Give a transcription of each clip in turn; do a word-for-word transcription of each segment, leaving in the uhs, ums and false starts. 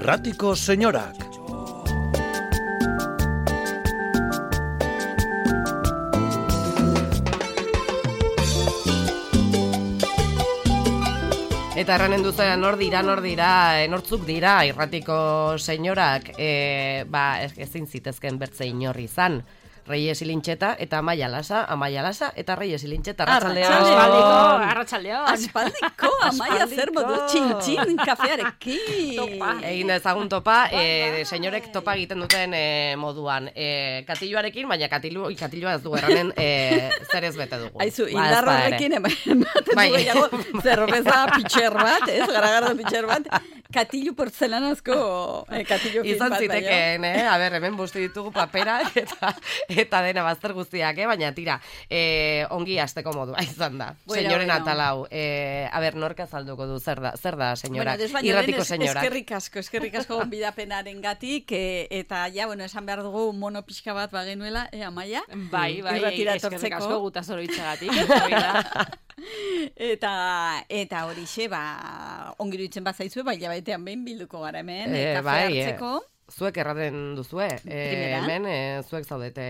Irratiko senyorak. Eta erranen duzera, nor dira, nor dira, nortzuk dira, irratiko senyorak, e, ba, ezin zitezken bertze inorri izan. Reyes Ilintxeta eta Amaia Lasa, Amaia Lasa eta Reyes Ilintxeta. Arratxaldeon. Arratxaldeon. Arratxaldeon. Aspaldiko, Amaia zer modu txin-txin kafearekin. Topa. Egin ezagun topa, e, senyorek topa egiten duten e, moduan. E, katiluarekin, baina katilu, katilua ez du erranen e, zer ez bete dugu. Aizu, indar horrekin ematen du gehiago, zerbeza pitxer bat, ez, garagardo pitxer bat, katilu portzelanazko e, katilu fin izan bat. Izan zitekeen, eh? A ber, hemen busti ditugu paperak eta eta dena bazter guztiak, eh? Baina tira, eh, ongi hasteko modua izan da. Bueno, senyoren bueno. Atalau. Eh, a ber, norka azalduko du, zer da, zer da senyorak, bueno, irratiko senyorak. Eskerrik asko, eskerrik asko gonbidapenaren gatik, eh, eta ja, bueno, esan behar dugu mono pixka bat bagenuela, eh, Amaia? Bai, bai, eskerrik asko gutaz oroitzagatik. eta eta horixe, ba, ongi duitzen bat zaizue, bai, jabaitean behin bilduko gara hemen, eh, kafe bai, hartzeko. Eh. Zuek erraten duzue, e, hemen e, zuek zaudete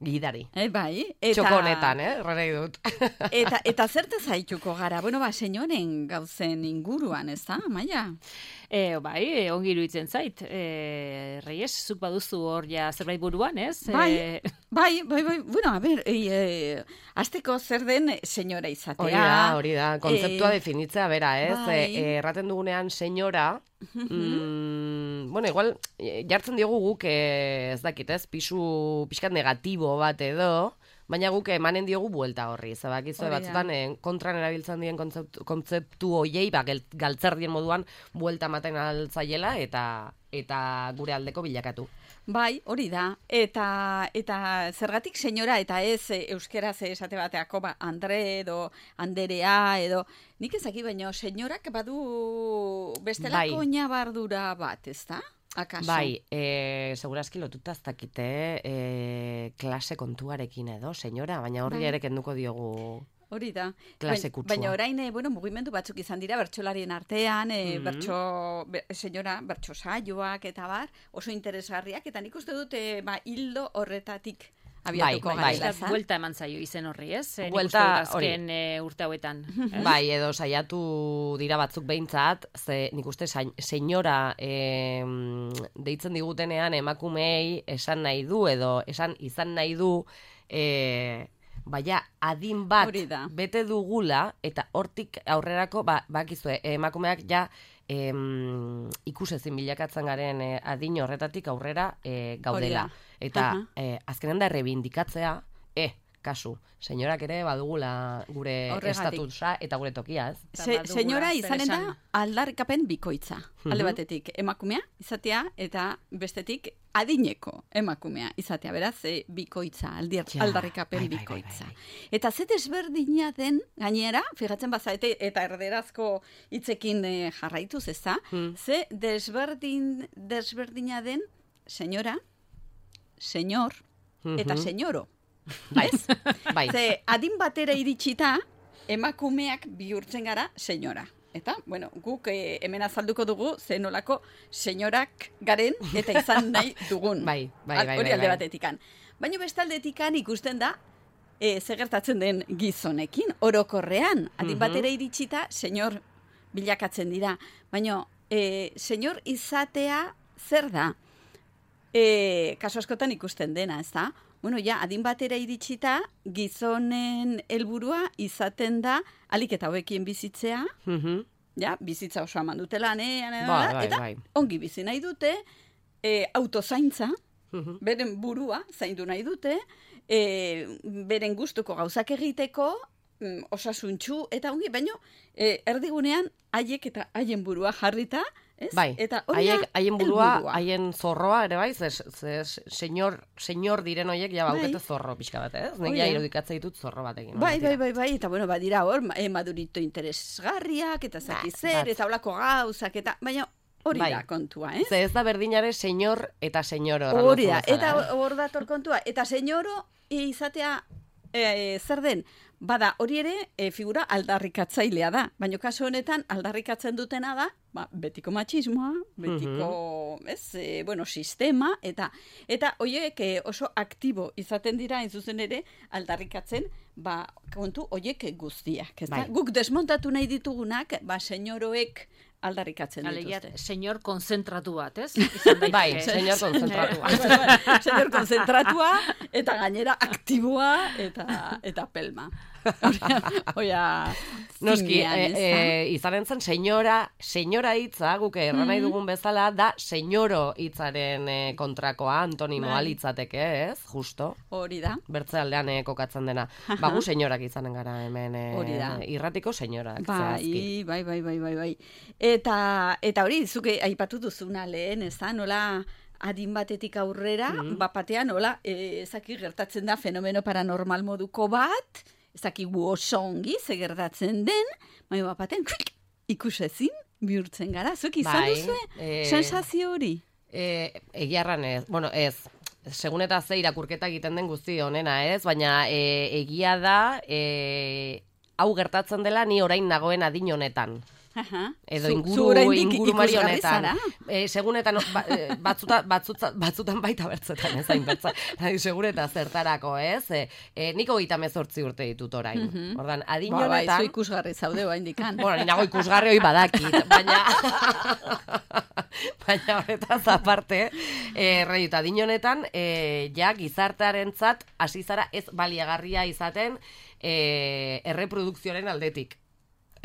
gidari. E, bai. Eta... Txoko honetan, eh? Errarei dut. eta, eta zerte zaituko gara? Bueno, ba, senyoren gauzen inguruan, ez da, Amaia? E, bai, e, ongi iruditzen zait. E, Reyes, zuk baduzu hor ja zerbait buruan, ez? Bai, e... bai, bai, bai. Bueno, a ber, e, e, azteko zer den senyora izatea. Hori da, hori da. Kontzeptua e... definitzea, bera, ez? Bai. E, erraten dugunean senyora, mm, bueno, igual, jartzen diogu guk, ez dakit, ez? Pisu, pixkat negatibo bat edo, baina guk emanen diogu buelta horri. Zabakizu, batzutan eh, kontran erabiltzen dien kontzeptu, kontzeptu hoiei, ba, galtzer dien moduan buelta ematen altzaiela eta eta gure aldeko bilakatu. Bai, hori da. Eta eta zergatik senyora eta ez e, euskeraz esate bateako ba, Andre edo Anderea edo nik ezaki baino senyorak badu bestelako bai. Nabardura bat, ezta? Akaso? Bai, e, segurazki lotuta ez dakite e, klase kontuarekin edo, senyora, baina horri bai. Ere kenduko diogu... Hori da. Klase kutsua. Baina orain, bueno, mugimendu batzuk izan dira bertsolarien artean, e, mm-hmm. bertso, be, senyora, bertso saioak eta bar, oso interesgarriak, eta nik uste dute, ba, hildo horretatik abiatuko bai, gara. Bai, buelta eman zaio izen horri, ez? Buelta, azken e, urte hauetan. Bai, edo saiatu dira batzuk behintzat, ze nik uste senyora e, deitzen digutenean emakumei esan nahi du, edo esan izan nahi du, e, baina adin bat bete dugula, eta hortik aurrerako, ba, bakizue, emakumeak ja em, ikusezin bilakatzen garen e, adin horretatik aurrera e, gaudela. Eta e, azkenen da errebindikatzea, e, kasu, senyorak ere badugula gure estatusa eta gure tokia, ez? Se, senyora izanen da aldarrikapen bikoitza. Mm-hmm. Alde batetik emakumea izatea eta bestetik adineko emakumea izatea, beraz, e, bikoitza, aldir, ja, aldarrikapen bai, bikoitza. Bai, bai, bai. Eta ze desberdina den, gainera, fijatzen bazaete, eta erderazko hitzekin e, jarraituz, ez da, hmm. ze desberdin, desberdina den, senyora, senyor, mm-hmm. eta senyoro. Bai, bai. Ze adin batera iritsita, emakumeak bihurtzen gara senyora. Eta, bueno, guk eh, hemen azalduko dugu zenolako senyorak garen eta izan nahi dugun. Bai, bai, bai. Hori bai, alde bai. batetikan. Baina bestaldeetikan ikusten da, e, zegertatzen den gizonekin, orokorrean. Adin batera iritsita, senyor bilakatzen dira. Baina, e, senyor izatea zer da? E, kaso askotan ikusten dena, ez da? Bueno, ja, adin batera iritsita, gizonen helburua izaten da, alik eta hauekien bizitzea, mm-hmm. ja, bizitza oso aman dute lanean, bai, bai, eta bai. ongi bizi nahi dute, e, autozaintza, mm-hmm. beren burua zaindu nahi dute, e, beren gustuko gauzak egiteko, mm, osasuntxu, eta ongi, baino, e, erdigunean, haiek eta haien burua jarrita, ez? Bai, eta haiek, haien burua, haien zorroa, ere bai, ze, ze senyor, senyor diren horiek ja baukete bai. Zorro pixka bat, ez? Nik ja irudikatzea ditut zorro batekin. Bai, bai, bai, bai, eta bueno, badira hor, eh, madurito interesgarriak, eta zaki zer, eta holako gauzak, eta, baina hori bai. Da kontua, eh? Ze ez da berdinare senyor eta senyoro. Hori da, eta hor dator kontua, eta senyoro izatea, e, zer den, Bada, hori ere e, figura aldarrikatzailea da, baina kasu honetan aldarrikatzen dutena da, ba, betiko matxismoa, betiko, mm-hmm. ez, e, bueno, sistema, eta eta horiek e, oso aktibo izaten dira, hain zuzen ere, aldarrikatzen, ba, kontu horiek guztiak, ez da? Bai. Guk desmontatu nahi ditugunak, ba, senyoroek aldarrikatzen Alegia, dituzte. Senyor konzentratu bat, ez? Bai, senyor konzentratua. Senyor konzentratua, eta gainera aktiboa, eta, eta pelma. Oia, noski, e, e, izaren zen senyora, senyora hitza, guk erran nahi dugun bezala, da senyoro hitzaren e, kontrakoa, antonimoa litzateke, ez? Justo. Hori da. Bertze aldean e, kokatzen dena. Ba, gu senyorak izanen gara hemen, e, hori da. Irratiko senyorak. Bai, bai, bai, bai, bai, bai. Eta, eta hori, zuke aipatu duzuna lehen, ez da, nola adin batetik aurrera, mm-hmm. bapatean, nola, e, ezaki gertatzen da fenomeno paranormal moduko bat, ezaki gu oso ongi, ze gertatzen den, baina bapatean, ikusezin, bihurtzen gara, zuek izan bai, duzu, e, sensazio hori? E, egiarran ez, bueno, ez, segun eta ze irakurketa egiten den guzti honena, ez, baina e, egia da, e, hau gertatzen dela ni orain nagoen adin honetan. Aha. Edo inguru, inguru marionetan. E, segunetan, ba, batzuta, batzuta, batzutan baita bertzetan, ez hain bertza. Segureta zertarako, ez? E, e, niko gita mezortzi urte ditut orain. Mm-hmm. Ordan, adin ba, honetan... Ba, zu ikusgarri zaude bain dikan. Bueno, ninago ikusgarri hoi badakit, baina... baina horretaz aparte, e, reiut, adin honetan, e, ja, gizartearentzat hasi zara ez baliagarria izaten e, erreprodukzioaren aldetik.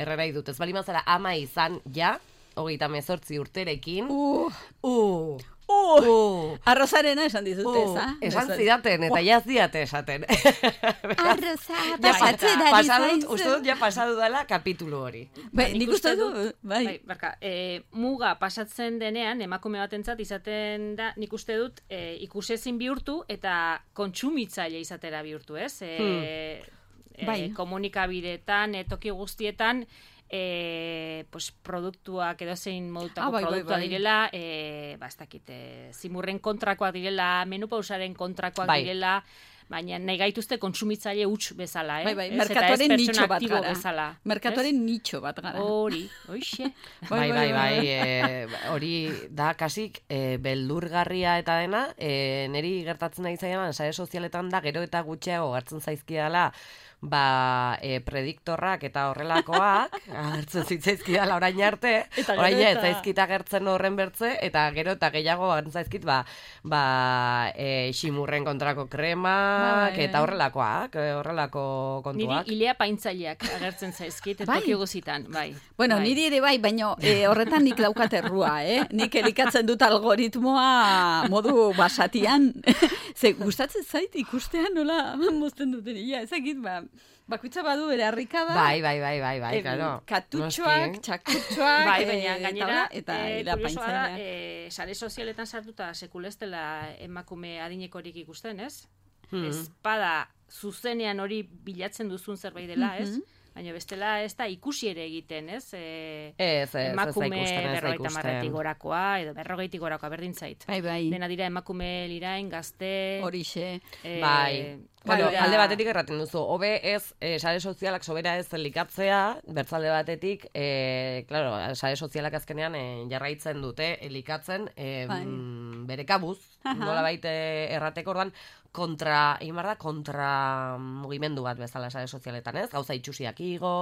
Errera idut, ez bali mazara ama izan, ja, hogeita mezortzi urterekin. Uh, uh, uh, uh. Arrozarena esan dizute, uh, esan zidaten, eta uh. ja zidate esaten. Arroza, pasatzen ari zaizu. Uste dut, ja pasadu dela kapitulu hori. Bai, nik uste du, bai. bai barka, e, muga pasatzen denean, emakume batentzat izaten da, nik uste dut, e, ikusezin bihurtu, eta kontsumitzaile izatera bihurtu, ez? E, hmm. Bai. E, komunikabideetan, e, toki guztietan, e, pues, produktuak edo zein modutako ah, bai, produktua bai, bai. direla, e, ba, ez dakit, e, zimurren kontrakoak direla, menupausaren kontrakoak bai. direla, baina nahi gaituzte kontsumitzaile huts bezala, eh? Bai, bai, merkatuaren nitxo bat gara. Bezala, merkatuaren nitxo bat gara. Hori, hoixe. bai, bai, bai, e, hori da kasik e, beldurgarria eta dena, e, niri gertatzen nahi zailan, sare sozialetan da, gero eta gutxiago hartzen zaizkiala, ba, e, prediktorrak eta horrelakoak, hartzen zitzaizkidala orain arte, orain ez zaizkita gertzen horren bertze, eta gero eta gehiago hartzen zaizkit, ba, ba e, ximurren kontrako kremak, ba, eta horrelakoak, horrelako kontuak. Niri ilea paintzaileak agertzen zaizkit, bai. Toki guzitan, bai. Bueno, bai. Niri ere bai, baina e, horretan nik daukat errua, eh? Nik elikatzen dut algoritmoa modu basatian. Ze, gustatzen zait ikustean nola mozten duten, ia, ezakit, ba, bakoitza badu bere harrikada. Bai, bai, bai, bai, bai, e, claro. Katutxoak, txakutxoak, bai, baina gainera, eta e, ila kuriosoa da, paintzaileak. e, sare sozialetan sartuta sekulestela emakume adinekorik ikusten, ez? Hmm. Espada zuzenean hori bilatzen duzun zerbait dela, ez? Mm-hmm. Baina bestela ez da ikusi ere egiten, ez? E, ez, ez, emakume ez da ikusten, ez da berrogeita ikusten. marretik gorakoa, edo berrogeitik gorakoa berdin zait. Bai, bai. Dena dira emakume lirain, gazte... Horixe. E, bai. Bueno, alde batetik erraten duzu, hobe ez, e, sare sozialak sobera ez elikatzea, bertzalde batetik, e, claro, sare sozialak azkenean e, jarraitzen dute elikatzen e, bai. m, bere kabuz, nola baite errateko ordan, kontra, egin behar da, kontra mugimendu bat bezala sare sozialetan, ez? Gauza itxusiak igo,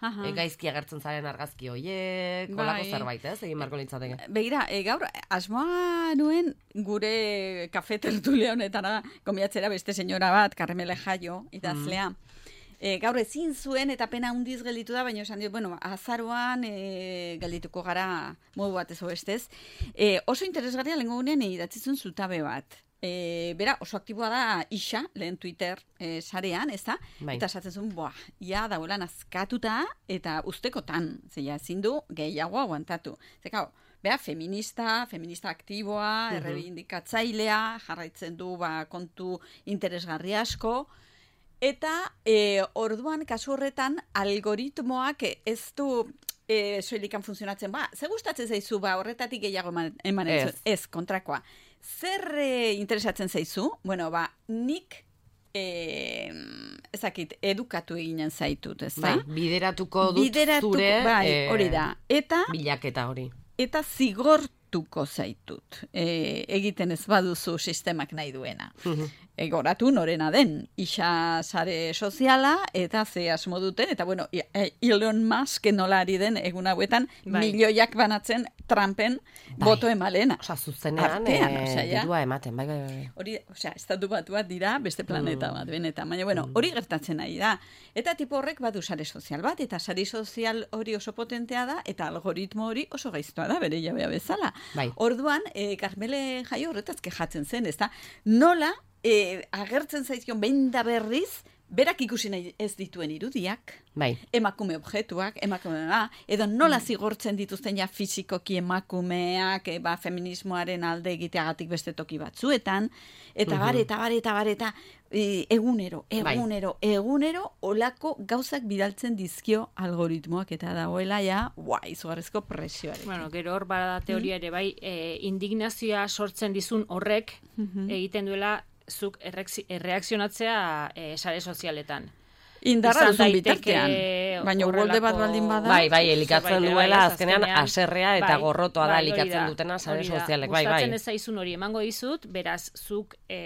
e, gaizki agertzen zaren argazki hoiek, kolako bai. zerbait, ez? Egin beharko litzateke. Begira, e, gaur, asmoa nuen gure kafe tertulia honetara komiatzera beste senyora bat, Karmele Jaio, idazlea. Mm. E, gaur ezin zuen eta pena hundiz gelditu da, baina esan dio, bueno, azaroan e, geldituko gara modu bat ez bestez. E, oso interesgarria lehenko gunean idatzizun zutabe bat. E, bera, oso aktiboa da Isa, lehen Twitter e, sarean, ez da? Bai. Eta esatzen zuen, boa, ia dauela nazkatuta eta ustekotan, zeia, ezin du gehiago aguantatu. Zekau, bera, feminista, feminista aktiboa, uh-huh. errebindikatzailea, jarraitzen du ba, kontu interesgarri asko, eta e, orduan, kasu horretan, algoritmoak ez du e, soilikan funtzionatzen, ba, ze gustatzen zaizu, ba, horretatik gehiago eman, eman ez. ez, kontrakoa. Zer e, interesatzen zaizu? Bueno, ba, nik e, ezakit, edukatu eginen zaitut, ez da? Bai, bideratuko dut Bideratuko, zure bai, eh, hori da. Eta, bilaketa hori. eta zigortuko zaitut. E, egiten ez baduzu sistemak nahi duena. Egoratu norena den, isa sare soziala, eta ze asmo duten, eta bueno, Elon Musk nola ari den egun hauetan, Bai. milioiak banatzen Trumpen Bai. boto emalena. Osa, zuzenean, Artean, eh, osea, ja. dirua ematen, bai, bai, bai. Hori, osea, estatu batu bat dira, beste planeta Mm. bat, benetan. Baina, bueno, hori gertatzen ari da. Eta tipo horrek badu sare sozial bat, eta sare sozial hori oso potentea da, eta algoritmo hori oso gaiztoa da, bere jabea bezala. Bai. Orduan, eh, Carmele Jaio horretaz kejatzen zen, ez da, nola eh, agertzen zaizkion behin da berriz, berak ikusi nahi ez dituen irudiak, Bai. emakume objektuak, emakume ba, edo nola zigortzen dituzten ja fisikoki emakumeak, e, ba, feminismoaren alde egiteagatik beste toki batzuetan, eta Mhm. bar, eta bar, eta bar, eta e, egunero, Bai. egunero, egunero, olako gauzak bidaltzen dizkio algoritmoak, eta dagoela ja, ua, izugarrizko presioarekin. Bueno, gero hor bada teoria ere, bai, e, indignazioa sortzen dizun horrek egiten duela zuk erreakzi- erreakzionatzea e, sare sozialetan. Indarra Izan duzun daiteke bitartean, baina horrelako- golde bat baldin bada. Bai, bai, elikatzen Zerbait ere duela, bai, ez, azkenean, azkenean, haserrea eta bai, gorrotoa da bai, hori elikatzen da, dutena sare hori da. sozialek, bai, bai. Gustatzen ez zaizun hori emango dizut, beraz, zuk e,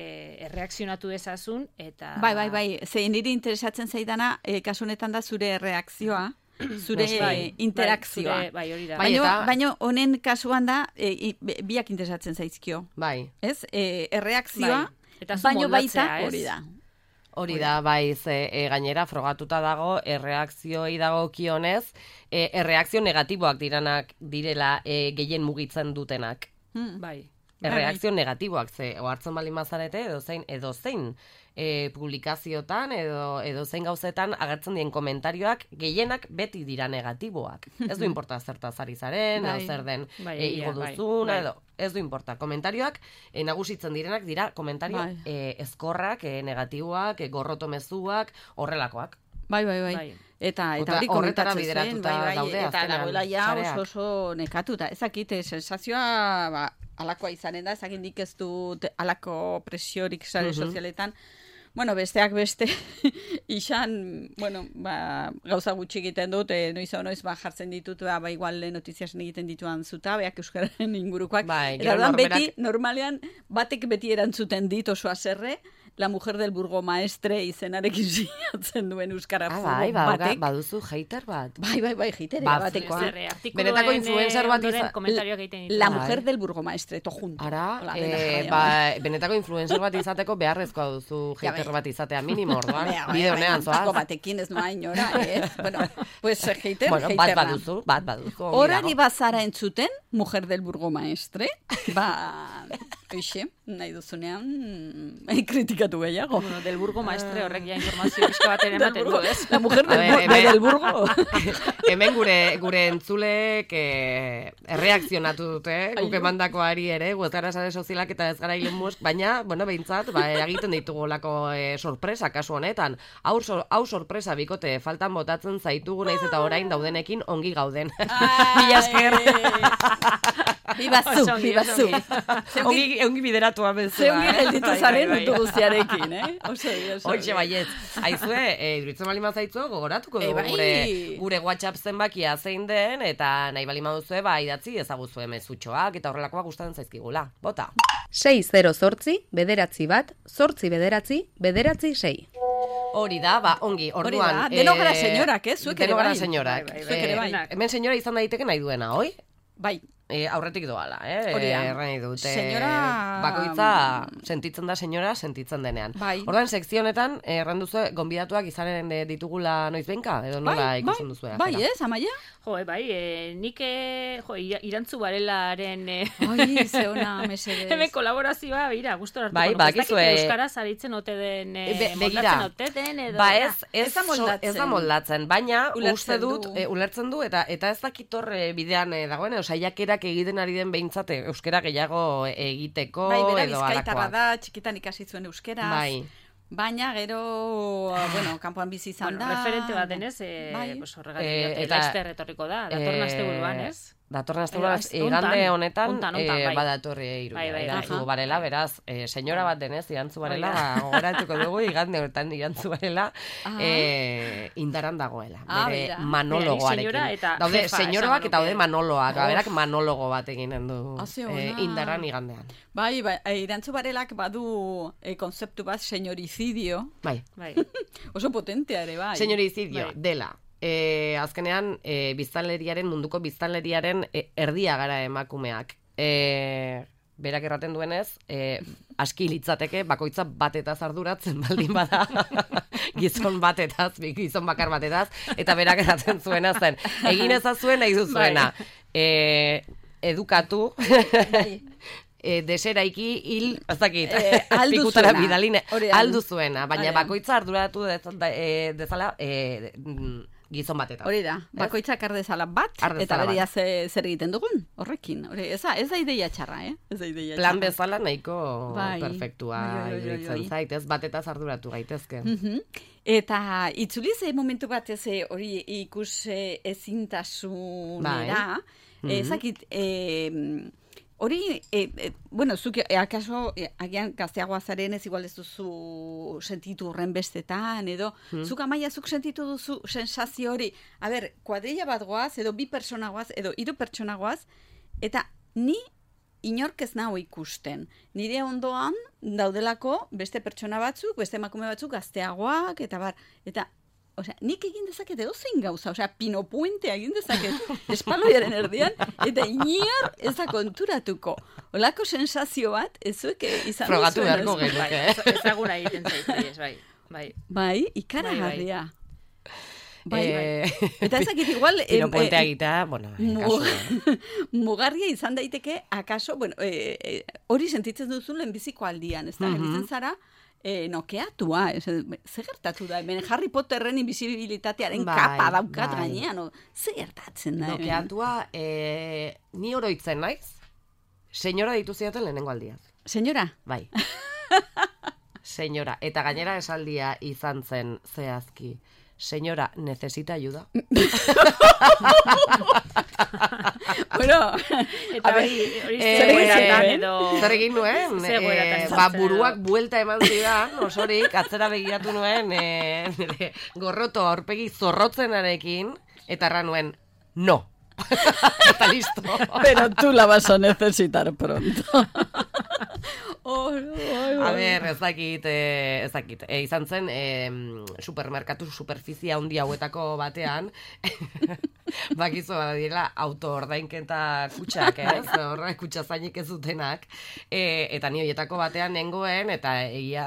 erreakzionatu dezazun, eta... Bai, bai, bai, zein niri interesatzen zaidana, e, kasu honetan da zure reakzioa, zure Bai, interakzioa. Bai, zure- bai, hori da. Bai, Baina, eta- baina honen kasuan da, e, i- biak interesatzen zaizkio. Bai. Ez? E, erreakzioa, Bai. Eta zu baino baita moldatzea, ez? hori da. Hori da, bai, ze, e, gainera frogatuta dago, erreakzioi dago kionez, e, erreakzio negatiboak diranak direla e, gehien mugitzen dutenak. Hmm. Bai. Erreakzio negatiboak, ze, ohartzen bali mazarete, edo zein, edo zein e, publikaziotan, edo, edo zein gauzetan agertzen dien komentarioak gehienak beti dira negatiboak. Ez du importa zertaz ari zaren, Bai. edo zer den Bai, e, egia, igo bai, duzuna, bai. edo ez du importa. Komentarioak e, nagusitzen direnak dira komentario Bai. e, ezkorrak, e, negatiboak, e, gorroto mezuak, horrelakoak. Bai, bai, bai. Bai. Eta, eta Ota- hori horretara komentatzen zen, bideratuta bai, bai, daude eta azkenean dagoela ja sareak. oso oso nekatuta. Ezakite, sensazioa, ba, alakoa izanen da, ezakit nik ez dut alako presiorik sare Mhm. sozialetan. Bueno, besteak beste, izan, bueno, ba, gauza gutxi egiten dut, e, noiz hau noiz ba, jartzen ditut, ba, ba igual notiziasen egiten dituan zutabeak euskararen ingurukoak. Bai, Eta gero orduan norberak- beti, normalean, batek beti erantzuten dit oso haserre, la mujer del burgomaestre izenarekin sinatzen duen euskara Ah, furgo bai, bauga, batek. baduzu hater bat. Bai, bai, bai, jitere Ba, batekoa. Zer, eh, artikuluen, Benetako influencer eh, bat ondoren iza- komentarioak egiten ditu. La Bai. mujer del burgomaestre, to junto. Ara, Hola, e, dena jarraian, ba, bai. benetako influencer bat izateko beharrezkoa duzu Ja, hater bai. bat izatea minimo, orduan. Bea, bai, Bide bai, honean, piko zoaz. batekin ez noa inora, eh? Bueno, pues eh, hater, Bueno, hater bat da. baduzu, bat baduzu. ongi Horari dago. bazara entzuten, mujer del burgomaestre, ba, oixe, nahi duzunean, mm, kritikatu gehiago. Bueno, del burgo maestre horrek ja informazio pixka bat ere Del ematen burgo, du, ez? la mujer del, A bur- ver, de hemen- del burgo. Hemen gure gure entzulek eh, erreakzionatu dute, guk Ai, emandakoari ere, gu ez gara sare sozialak eta ez gara Elon Musk, baina, bueno, behintzat, ba, egiten ditugolako eh, sorpresa kasu honetan. Hau, sor, hau sorpresa bikote, faltan botatzen zaitugu naiz eta orain daudenekin ongi gauden. Mila esker. Bibazu, Oso ongi, bibazu. oso ongi, ongi bideratua bezala. Ze ongi eh? gelditu Bai, zaren bai, bai. mutu guztiarekin, eh? Oso, oso. Hoxe baiet. Aizue, e, iduritzen bali mazaitzu, gogoratuko E, dugu bai. gure, gure WhatsApp zenbakia zein den, eta nahi bali maduzue, ba, idatzi ezaguzue mezutxoak, eta horrelakoak gustatzen zaizkigula. Bota. sei zero zortzi, bederatzi bat, zortzi bederatzi, bederatzi sei. Hori da, ba, ongi, Hori orduan. da, denok gara senyorak, eh? Zuek ere denok gara bai. senyorak. Bai, bai, bai. Zuek ere bai. Eh, hemen senyora izan daiteke nahi duena, oi? Bai, E, aurretik doala, eh? Hori da. Erran nahi dute. Senyora- Bakoitza sentitzen da senyora, sentitzen denean. Bai. Orduan, sekzio honetan, erran duzu, gonbidatuak izanen eh, ditugula noiz benka? Edo nola bai, ikusten bai, duzu? bai, ez, amaia? Jo, eh, bai, e, nik e, jo, ira- irantzu barelaren e, Ai, ze ona, mesedez. hemen kolaborazioa, bira, gustora hartuko. Bai, nuke. Ez bakizue- dakit euskaraz aritzen ote den, e, Be- begira. moldatzen ote den, edo... Ba ez, ez, Ez da so- moldatzen. ez da moldatzen, baina Ulertzen uste dut, du. e, ulertzen du, eta eta ez dakit hor e, bidean e, dagoen, edo saiakerak egiten ari den behintzat e, euskera gehiago egiteko Bai, bera edo bizkaitarra alakoak. da, txikitan ikasi zuen euskeraz. Bai. Baina gero, bueno, kanpoan bizi izan Bueno, da. referente bat denez, e, Bai. pues horregatik Eh, diote, eta- Laster etorriko da, datorren Eh, asteburuan, ez? datorren asteburuan igande honetan ontan, ontan, eh, bai. badatorri hiru. Bai, bai, Irantzu bai. barela, beraz, eh, senyora bat denez, irantzu barela, Hori da. gogoratuko dugu igande honetan irantzu barela, Ah. eh, indaran dagoela. Ah, Bere bera. manologoarekin. Senyora eta daude jefa, senyoroak esango eta daude nuke. manoloak. Oh. Berak manologo bat eginen du Ah, ze eh, ona. indaran igandean. Bai, bai, e, irantzu barelak badu e, konzeptu bat señoricidio, Bai. Bai. oso potentea ere, bai. Señoricidio, Bai. dela. E, azkenean, e, biztanleriaren, munduko biztanleriaren e, erdia gara emakumeak. E, berak erraten duenez, e, aski litzateke bakoitza batetaz arduratzen baldin bada. Gizon batetaz, gizon bakar batetaz, eta berak erraten zuena zen. Egin ezazuen nahi duzuena. E, edukatu, e, deseraiki hil, ez dakit, Eh, aldu pikutara zuena. bidaline, Hori da. aldu zuena, baina Hori da. bakoitza arduratu dez- da- e, dezala e, mm, gizon batetan. Hori da, bakoitzak ardezala bat, Har eta dezala beria bat. ze, zer egiten dugun, horrekin. Hori, ez, da, ez da ideia txarra, eh? Ez da ideia Plan txarra. bezala nahiko Bai. perfektua Bai, bai, bai, iruditzen bai. zait, ez batetaz arduratu gaitezke. Mhm. Eta itzuli ze momentu bat ez eh, hori ikus eh, ezintasunera, Bai. eh, Mhm. ezakit, eh, hori, eh, eh, bueno, zuk eh, akaso, eh, agian gazteagoa zaren ez igual ez duzu sentitu horren bestetan, edo, zuk Amaia, zuk sentitu duzu sensazio hori, a ber, kuadrilla bat goaz, edo bi pertsona goaz, edo hiru pertsona goaz, eta ni inork ez nago ikusten. Nire ondoan daudelako beste pertsona batzuk, beste emakume batzuk gazteagoak, eta bar, eta, osea, nik egin dezaket edozein gauza, osea, pinopuentea egin dezaket espaloiaren erdian, eta inor ez da konturatuko. Olako sensazio bat, ez zuek izan Frogatu duzuen, beharko ez? genuke. Bai, ezaguna egiten zaitu, ez, bai. Bai. Bai, ikaragarria. Bai, bai. Eh, Eta ezakit igual... em, Piropuentea eh, egitea, bueno, Mu- kasu, eh. mugarria izan daiteke, akaso, bueno, eh, eh, hori sentitzen duzu lehenbiziko aldian, ez da, Mhm. gelditzen zara, eh, nokeatua, ez, ze gertatu da, hemen Harry Potterren invisibilitatearen Bai, kapa daukat bai. gainean, o, ze gertatzen da, hemen? Nokeatua, eh, ni oroitzen naiz, senyora ditu zidaten lehenengo aldiaz. Senyora, Bai. Senyora, eta gainera esaldia izan zen zehazki. Senyora, necesita ayuda. bueno, Eta a ber, hori, hori eh, zer egoeratan eh, edo... Zer egin nuen? Ze egoeratan Eh, sartzen ba, edo. buruak buelta eman zidan, osorik, atzera begiratu nuen, eh, nire gorroto aurpegi zorrotzenarekin, eta erran nuen, no. Eta listo. pero tú la vas a necesitar pronto. oh, oh, A ber, ez dakit, eh, ez dakit. E, izan zen, eh, supermerkatu superfizia handi hauetako batean, bakizu badiela auto-ordainketa kutxak, ez? Horra kutxa zainik ez dutenak. E, eta ni horietako batean nengoen, eta egia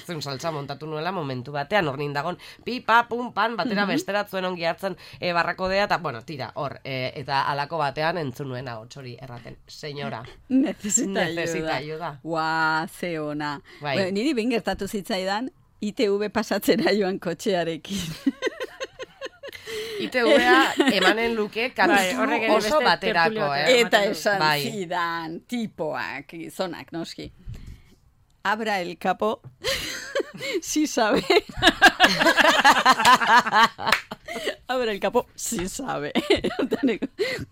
zun saltza montatu nuela momentu batean, hor nindagon, pi, pa, pum, pan, batera besteratzuen ongi hartzen e, barrakodea, eta, bueno, tira, hor, e, eta alako batean entzun nuen ahots hori erraten. Senyora, Necesita, necesita ayuda. ayuda. Ua, ze ona. Bai. Bueno, niri behin gertatu zitzaidan, I T V pasatzera joan kotxearekin. I T V-a emanen luke Bai, horrek ere oso beste baterako, tertulio eh? batean. Eta ematen du. esan Bai. zidan, tipoak, gizonak, noski. Abra el capo, si sabe. Abra el capo, si sabe.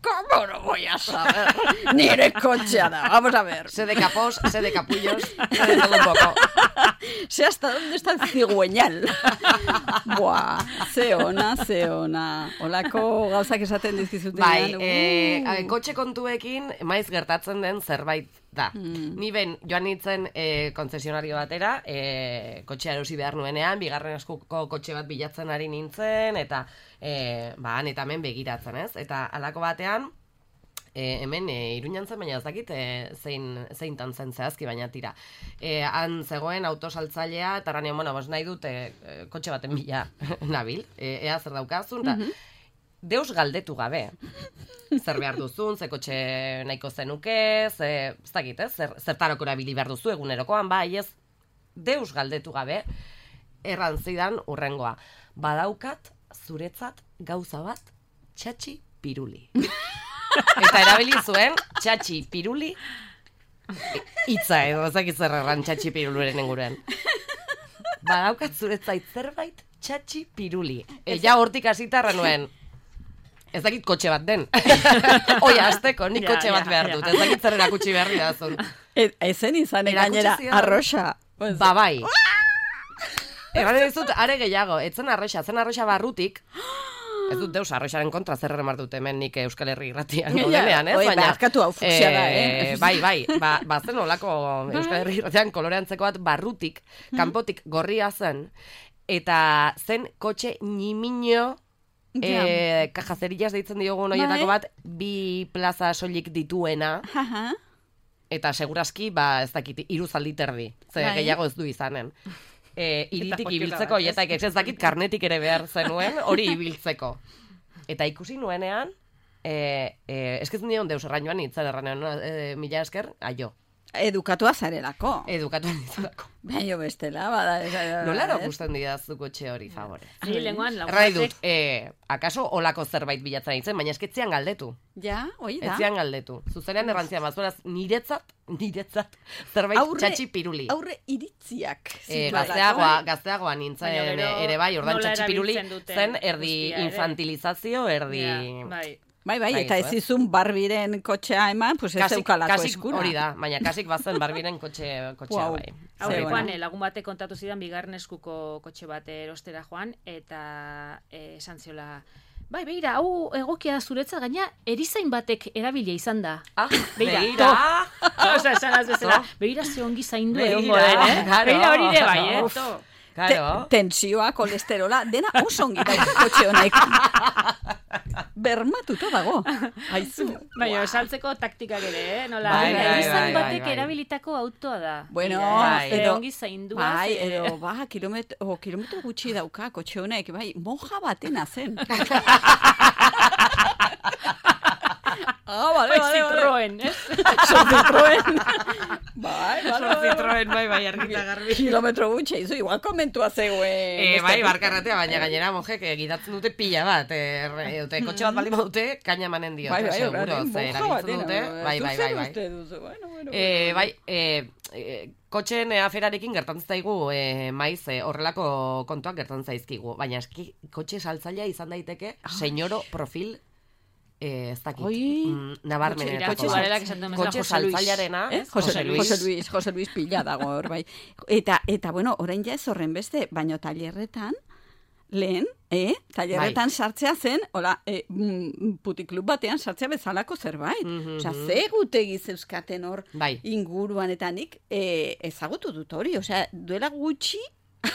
¿Cómo no voy a saber? Nire kotxea da, vamos a ver. Sé de capós, sé de capullos, sé de todo un poco. Sé hasta dónde está el cigüeñal. Buah, ze ona, ze ona. Olako gauzak esaten dizkizutenean. Bai, eh, uh. a- kotxe kontuekin maiz gertatzen den zerbait da. Mm. Ni ben joan nintzen eh, konzesionario batera, eh, kotxea erosi behar nuenean, bigarren eskuko kotxe bat bilatzen ari nintzen, eta eh, ba, han eta hemen begiratzen, ez? Eta halako batean, E, hemen e, Iruñan zen, baina ez dakit e, zein, zeintan zen zehazki, baina tira. E, han zegoen autosaltzailea, eta ranean, bueno, bos nahi dut e, e, kotxe baten bila nabil, e, ea zer daukazun, eta deus galdetu gabe. Zer behar duzun, ze kotxe nahiko zenuke, ze, ez dakit, ez? Zer, zertarako erabili behar duzu egunerokoan, bai, ez, deus galdetu gabe, erran zidan urrengoa. Badaukat, zuretzat, gauza bat, txatxi piruli. Eta erabili zuen, txatxi piruli, hitza edo, ezakit zer erran txatxi piruluren inguruan. Badaukat zuretzait zerbait, txatxi piruli. E, ja hortik hasita erran nuen, ez dakit kotxe bat den. Oia, azteko, nik Ja, kotxe bat ja, behar ja. dut. Ez dakit zer erakutsi beharri dazun. E, ezen izan gainera Erakutsi zidan. arroxa. Ba, bai. Egan dizut, are gehiago, etzen arroxa, zen arroxa barrutik, ez dut deus arroxaren kontra zer erremar dut hemen nik Euskal Herri irratian godenean, ez? Oi, Baina, barkatu hau fuksia da, eh? Bai, bai, ba, ba zen olako Euskal Herri irratian koloreantzeko bat barrutik, kanpotik gorria zen, eta zen kotxe nimino, eh, kajazerillas deitzen diogun horietako bat, bi plaza soilik dituena, Aha. eta segurazki, ba, ez dakit, hiru zaldi terdi, ze Bai. gehiago ez du izanen. E, iritik Eta ibiltzeko, potila bat, eta ez dakit karnetik ere behar zenuen, hori ibiltzeko. Eta ikusi nuenean, e, e, esketzen dion deus errainoan itzan erranean, e, mila esker, aio, Edukatua zarelako. edukatu nintzulako. Baina bestela, bada. Nola erakusten didazu kotxe hori, favore? Ni lenguan Errai dut, lagunatek e, akaso olako zerbait bilatzen nintzen, baina esketzean galdetu. Ja, hoi da. Etzean galdetu. Zuzenean errantzian bazueraz, niretzat, niretzat, zerbait Aurre- txatxi piruli. Aurre iritziak. E, zituelako, gazteagoa, eh? gazteagoa nintzen Baina gero ere bai, ordan nola txatxipiruli erabiltzen duten zen erdi guztia ere. infantilizazio, erdi... Ja, bai. Bai, bai, Bai, eta ez, ez izun barbiren kotxea eman, pues ez Kasik, zeukalako kasik eskura. hori da, baina kasik bazen barbiren kotxe, kotxea Wow. bai. Aurrekoan bueno. eh, lagun batek kontatu zidan bigarren eskuko kotxe bat erostera joan, eta eh, esan ziola, bai, beira, hau egokia da zuretza, gaina erizain batek erabilia izan da. Ah, Beira, beira. Osa, esan az bezala, beira ze ongi zaindu Beira, egongo den, eh? claro. Beira hori ere bai, eh? Uf. To. Claro. Te, tensioa, kolesterola, dena oso ongi da kotxe honek. Bermatuta dago. Aizu. Baina, saltzeko taktikak ere, eh? Nola, Bai, beira, bai, erizain bai, batek bai, bai. erabilitako autoa da. Bueno, Beira, bai. ze edo- ongi zaindua. Bai, ze- edo, ba, kilometro, oh, kilometro gutxi dauka kotxe honek, bai, monja batena zen. Ah, vale, Bai, vale, vale. Citroen, ez? Citroen. Bai, vale, vale. Citroen, bai, bai, argita garbi. Kilometro gutxi, izu, igual komentua zegoen. E, bai, barkarratea, baina gainera mojek eh, gidatzen dute pila bat. Eh, re- dute, kotxe bat baldin badute, kaina manen diote, Bai, bai, seguro. orain, Ze monja erabiltzen batena. dute, bai, bai, bai, bai. Uste duzu, bueno, bueno, E, bueno. bai, e, e, kotxeen e, aferarekin gertatzen zaigu e, maiz e, horrelako kontuak gertatzen zaizkigu. Baina eski kotxe saltzailea izan daiteke, senyoro profil e, ez dakit, Oi. mm, nabarmenetako. Kotxe garelak esan duen bezala Kotxe Jose Luis. saltzailearena, Eh? Jose, Luis. Jose Luis, Jose Luis pila dago hor, bai. Eta, eta bueno, orain ja ez horren beste, baino tailerretan, lehen, eh? Tailerretan sartzea zen, hola, eh, mm, putiklub batean sartzea bezalako zerbait. Mhm, Osea, mhm. ze gutegi zeuzkaten hor Bai. inguruan eta nik eh, ezagutu dut hori. Osea, duela gutxi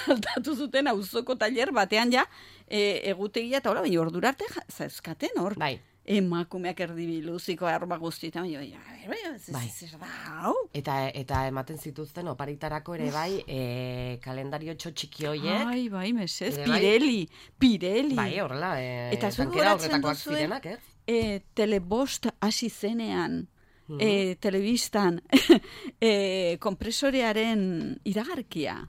aldatu zuten auzoko tailer batean ja eh, egutegia eta hola, baina ordura arte ja- zeuzkaten hor. Bai. Emakumeak erdibiluziko arma guztietan, baina, baina, baina, zer- Bai. zer da, hau? Eta, eta ematen zituzten oparitarako ere bai, e, kalendario txiki hoiek. Ai, bai, mesez, Ere bai. Pirelli, Pirelli. Bai, horrela, e, Eta zuek tankera gogoratzen horretakoak duzue? zirenak, ez? E, telebost hasi zenean, Mhm. e, telebistan, e, kompresorearen iragarkia.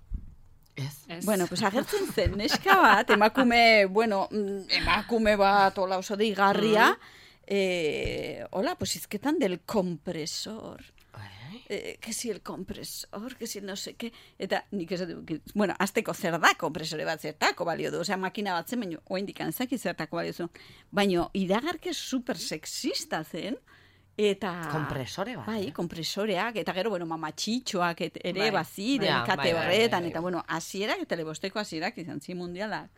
Ez. Ez. Bueno, pues agertzen zen, neska bat, emakume, bueno, mm, emakume bat, hola oso deigarria, eh, hola, pues izketan del kompresor. Eh, que si el kompresor, que si el no sé qué, eta nik ez dut, bueno, azteko zer da kompresore bat zertako balio du, osea, makina bat zen, baina oendik antzaki zertako balio zu. Baina iragarke super sexista zen, eta... Kompresore bat, Bai, eh? kompresoreak, eta gero, bueno, mamatxitxoak et, ere Bai. baziren, Ja, kate bai, bai, horretan, bai, bai. eta bueno, hasierak, telebosteko hasierak izan zi mundialak.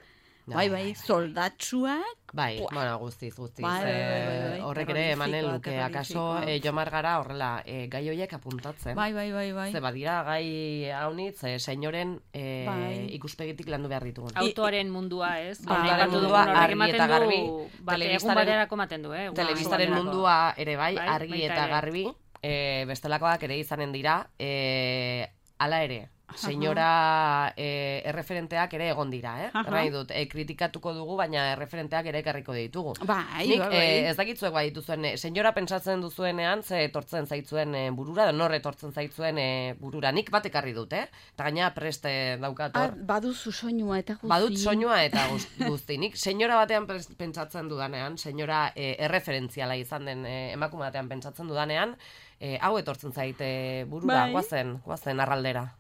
Bai, Bai, bai, bai, bai. soldatsuak, Bai, Buah. bueno, guztiz, guztiz. Bai, bai, bai, Eh, bai, bai. horrek ere emanen luke, Terrorisikoak, akaso terrorisikoak. eh, jomar gara horrela eh, gai horiek apuntatzen. bai, bai, bai, bai. Ze badira gai haunitz, eh, senyoren eh, Bai. ikuspegitik landu behar ditugun. Autoaren mundua, ez? Bai. Aipatu Autoaren dugun mundua horrek argi ematen eta du, garbi, Bat, egun telebistaren- baterako ematen du, eh? egun Telebistaren baterako. mundua ere bai, Bai, argi baita eta ere. garbi, eh, bestelakoak ere izanen dira, eh, hala ere, senyora eh, erreferenteak ere egon dira, eh? Aha. Nahi dut, eh, kritikatuko dugu, baina erreferenteak ere ekarriko ditugu. Bai, Nik bai, bai. eh, ez dakitzuek bai dituzuen, eh, senyora pentsatzen duzuenean, ze etortzen zaitzuen eh, burura, edo nor etortzen zaitzuen eh, burura. Nik bat ekarri dut, eh? Eta gaina preste daukat Ah, hor. baduzu soinua eta guzti. Badut soinua eta guz- guzti. Nik senyora batean pres- pentsatzen dudanean, senyora eh, erreferentziala izan den eh, emakume batean pentsatzen dudanean, eh, hau etortzen zaite burura, Bai. guazen, guazen arraldera.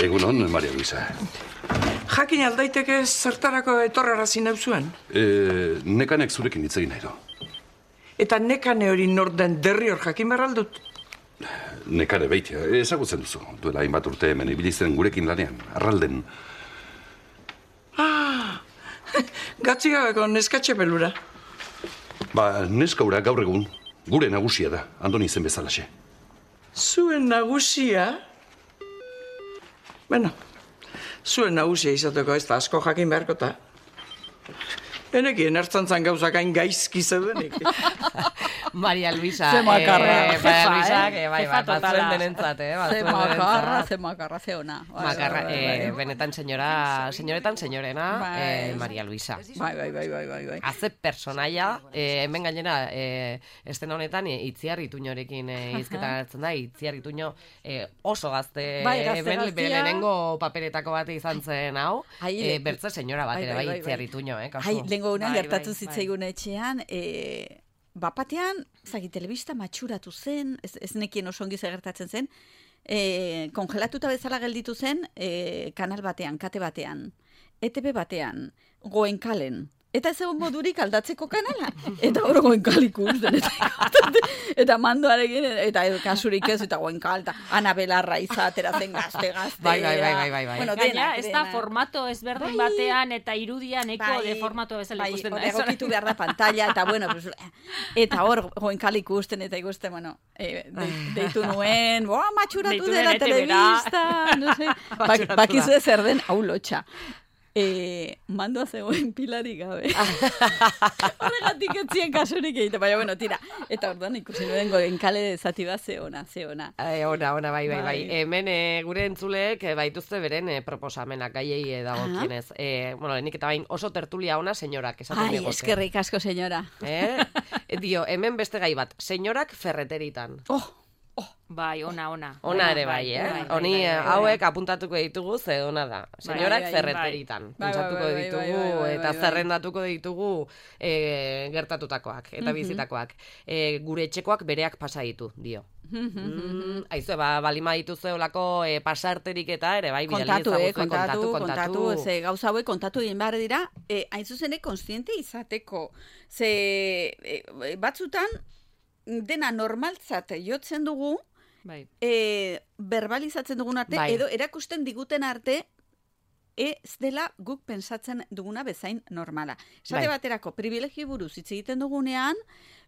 Egunon, Maria Luisa. Jakin aldaiteke zertarako etorrarazi nauzuen? E, nekanek zurekin hitz egin nahi du. Eta nekane hori nor den derri hor jakin berraldut? Nekare beitia, ezagutzen duzu. Duela hainbat urte hemen ibili zen gurekin lanean, arralden. Ah, gatzigabeko neskatxe pelura. Ba, neskaura gaur egun, gure nagusia da, Andoni zen bezalaxe. Zuen nagusia? Bueno, zuen nagusia izateko ez da asko jakin beharkota. Enekien ertzantzan gauzak hain gaizki zeudenik. Maria Luisa. Ze makarra. Eh, Maria Luisa, eh? que bai, Jefa bai, totala. batzuen denentzat, eh? Ze batzuen makarra, denentzat. ze makarra, ze ona. Bai, Makarra, bai, bai, eh, bai. benetan senyora, senyoretan senyorena, Bai. eh, Maria Luisa. Bai, bai, bai, bai, bai, bai. Haze personaia, eh, hemen gainera, eh, estena honetan, eh, Itziar Ituñorekin eh, hizketan hartzen da, Itziar Ituño eh, oso gazte, Bai, gazte hemen gaztia. bere lehenengo paperetako bat izan zen hau, Ai, eh, le- bertze senyora bat bai, ere, bai, bai, bai, Itziar bai. Ituño, eh, kasu. Ai, lehengo unean Bai, gertatu bai, zitzaigun etxean, e, bapatean, zaki, telebista matxuratu zen, ez, ez nekien oso ongi zer gertatzen zen, e, kongelatuta bezala gelditu zen e, kanal batean, kate batean, E T B batean, Goenkalen. Eta ez egon modurik aldatzeko kanala. Eta hor Goenkal ikusten. Eta, eta mandoarekin, eta kasurik ez, eta Goenkal, eta Ana Belarra izatera zen gazte, gazte. Bai, bai, bai, bai, bai, bai. Bueno, Gaina, denak, ez da denak. formato ezberdin Bai. batean eta irudian eko Bai, de formato bezala bai, ikusten da. hor ez? egokitu behar da pantalla, eta bueno, pues, eta hor Goenkal ikusten, eta ikusten, bueno, e, de, deitu nuen, boa, matxuratu Deitu dela nuen E T B-ra. telebista, no sé, bak, Matxuratu da. bakizu zer den, hau lotxa. E, mandoa zegoen pilarik gabe. Horregatik etzien kasurik egite, baina, bueno, tira. Eta orduan ikusi nuen Goenkale zati bat ze ona, ze ona. Eh, ona, ona, bai, bai, bai. Bai. Hemen eh, gure entzuleek eh, baituzte beren eh, proposamenak gaiei eh, dagokienez. Eh, bueno, lehenik eta bain oso tertulia ona senyorak esaten Ai, digote. eskerrik asko, senyora. Eh? Dio, hemen beste gai bat, senyorak ferreteritan. Oh, Bai, ona, ona. Ona ere bai, eh? bai, bai, Honi bai, eh, bai, bai. hauek apuntatuko ditugu ze ona da. Senyorak bai, bai. ferreteritan. Bai, bai, Pentsatuko bai, bai, ditugu bai, bai, bai, eta bai. zerrendatuko ditugu eh, gertatutakoak eta bizitakoak. Eh, gure etxekoak bereak pasa ditu, dio. Mm, Aizue, ba, balima dituzu olako eh, pasarterik eta ere, bai, bidali kontatu, eh, ezaguzue, kontatu, kontatu, kontatu, ze gauza hauek kontatu egin behar dira, eh, hain zuzene konstiente izateko. Ze eh, batzutan dena normaltzat jotzen dugu, Bai. e, verbalizatzen dugun arte, Bai. edo erakusten diguten arte, ez dela guk pensatzen duguna bezain normala. Esate Bai. baterako, privilegio buruz hitz egiten dugunean,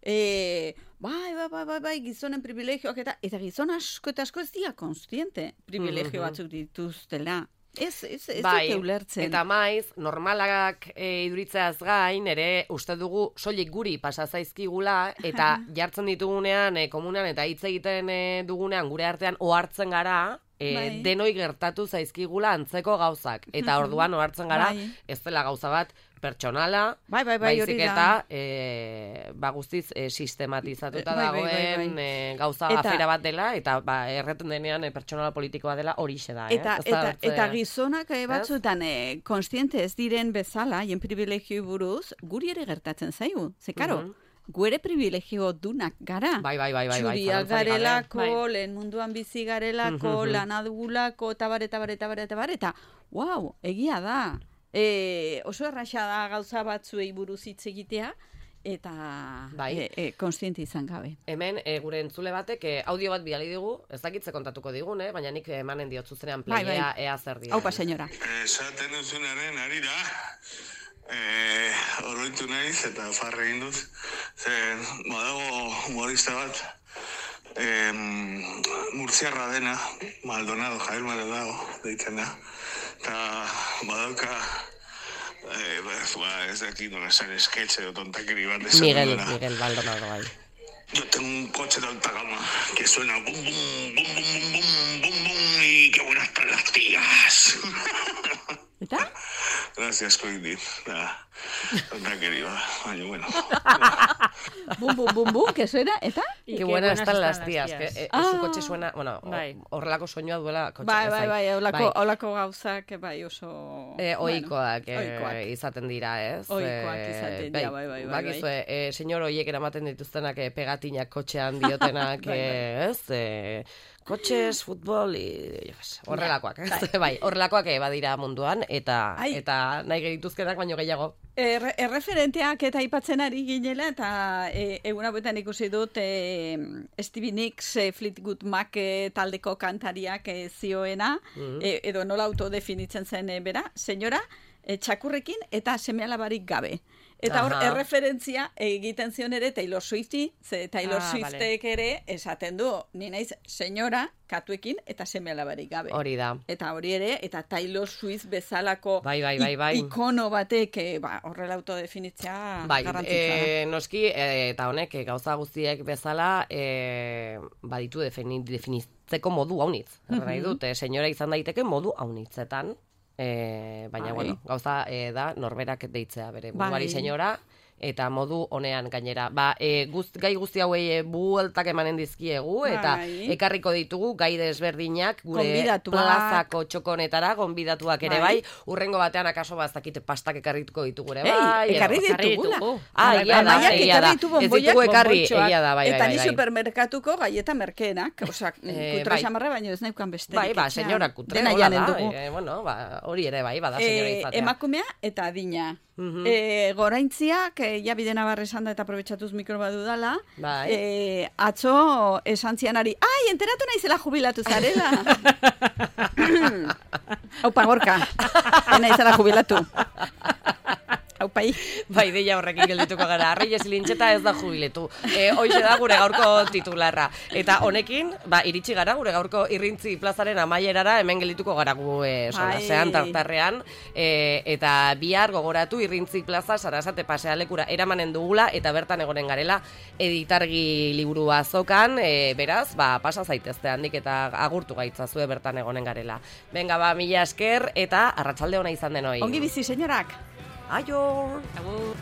e, bai, bai, bai, bai, bai, gizonen privilegioak eta, eta gizon asko eta asko ez dira konstiente privilegio Mhm. batzuk dituztela. Ez, ez, ez Bai, dute ulertzen. eta maiz, normalak e, iduritzeaz gain, ere, uste dugu soilik guri pasa zaizkigula, eta jartzen ditugunean, e, komunean, eta hitz egiten e, dugunean, gure artean, ohartzen gara, e, Bai. denoi gertatu zaizkigula antzeko gauzak. Eta orduan ohartzen gara, Bai. ez dela gauza bat, pertsonala, Bai, bai, bai, hori baizik da. eta e, ba, guztiz e, sistematizatuta Bai, bai, bai, dagoen bai. e, gauza Eta- afera bat dela, eta ba, erreten denean e, pertsonala politikoa dela horixe da. Eh? Eta, Ez da eta, bertze- eta gizonak eh, batzutan eh, konstiente ez diren bezala, hien privilegio buruz, guri ere gertatzen zaigu. Ze, karo, Mhm. guere privilegio dunak gara. Bai, bai, bai, bai, bai, Txuriak zalantzarik gabe. garelako, Bai. lehen munduan bizi garelako, Mhm. lana dugulako, eta bar, eta bar, eta bar, eta bar, eta, wow, egia da. E, oso erraxa da gauza batzuei buruz hitz egitea, eta Bai. e, e, konstiente izan gabe. Hemen e, gure entzule batek e, audio bat bidali digu, ez dakitze kontatuko digun, eh? Baina nik emanen diot zuzenean Bai, playea bai. ea zer dira. Haupa, senyora. Esaten duzunaren arira, eh, oroitu naiz eta farre egin dut, zen badago humorista bat, eh, murtziarra dena, Maldonado, Javier Maldonado, deitzen da, eta badauka, eh, ba, ez dakit nola esan esketxe o tontakeri bat esan Miguel, duena. Miguel Maldonado, bai. Yo tengo un coche de alta gama que suena bum bum bum bum bum bum bum bum y qué buenas están las tías. Eta? Gracias, Coindi. Nada, tonta querida. Baina, bueno. Bum, bum, bum, bum, que suena, eta? Y Qué buenas están las las tías. tías. Que, eh, Ah. Su coche suena, bueno, Bai. horrelako soinua duela kotxe. Bai, ez bai, dakit. bai, olako, Bai. olako gauzak, bai, oso... E, oikoak, bueno, eh, ohikoak. izaten dira, ez? Ohikoak Eh, izaten dira, bai, bai, bai, Bakizue, eh, señor hoiek eramaten dituztenak eh, pegatinak kotxean diotenak, Bai, bai. eh, ez? Eh, kotxes, futbol, i, jo, ez, horrelakoak, ez? Bai, horrelakoak eh, badira munduan, eta Ai. eta nahi gerituzkenak baino gehiago. Er, erreferenteak eta aipatzen ari ginela, eta e, egun hauetan ikusi dut e, Stevie Nicks e, Fleetwood Mac e, taldeko kantariak e, zioena, e, edo nola autodefinitzen zen e, bera, senyora, e, txakurrekin eta seme-alabarik gabe. Eta hor, Aha. erreferentzia egiten zion ere Taylor Swifti, ze Taylor Ah, Swiftek ere esaten du, ni naiz senyora, katuekin eta seme-alabarik gabe. Hori da. Eta hori ere, eta Taylor Swift bezalako Bai, bai, bai, bai. i- ikono batek eh, ba, horrela autodefinitzea Bai, garrantzitsua da. e, noski, e, eta honek, e, gauza guztiek bezala, e, baditu defini, definitzeko modu haunitz. Mm Nahi dut, e, senyora izan daiteke modu haunitzetan, e, baina, Bai. bueno, gauza e, da norberak deitzea bere buruari Bai. senyora, eta modu honean gainera. Ba, e, guzt, gai guzti hauei e, bueltak emanen dizkiegu, eta Bai. ekarriko ditugu gai desberdinak, gure Gonbidatuak. plazako txokonetara, gonbidatuak ere Bai. bai, urrengo batean akaso bazakite pastak ekarrituko ditugu ere Ei, bai. edo- ekarri ekarri ditugula. ditugu. Ah, Bai, egia da, Amaiak egia ekarri da. ditu Ez bonboiak, ditugu ekarri, bonboitxoak, egia da, bai, bai, Eta bai, ni bai. supermerkatuko gaieta merkeenak, osea, Eh, kutra bai. xamarra baino ez neukan besterik. Bai, ba, etxean. senyora kutre, Dena hola janen da, dugu. eh, bueno, ba, hori ere bai, bada senyora Eh, izatea. emakumea eta adina. Mhm. Eh, goraintziak, eh, ja bide nabar esan da eta aprobetxatuz mikro badudala, Bai. eh, atzo esan zianari, ai, enteratu naizela jubilatu zarela. Aupa, gorka, naizela jubilatu. Aupai. Bai, deia horrekin geldituko gara. Arraiez lintxeta ez da jubiletu. E, hoxe da gure gaurko titularra. Eta honekin, ba, iritsi gara gure gaurko irrintzi plazaren amaierara, hemen geldituko gara gu e, solasean, Bai. tartarrean. E, eta bihar gogoratu irrintzi plaza Sarasate pasealekura eramanen dugula, eta bertan egonen garela editargi liburua azokan, e, beraz, ba, pasa zaitezte handik eta agurtu gaitzazue bertan egonen garela. Benga, ba, mila esker, eta arratsalde ona izan denoi. Ongi bizi, senyorak. Aio! Agur.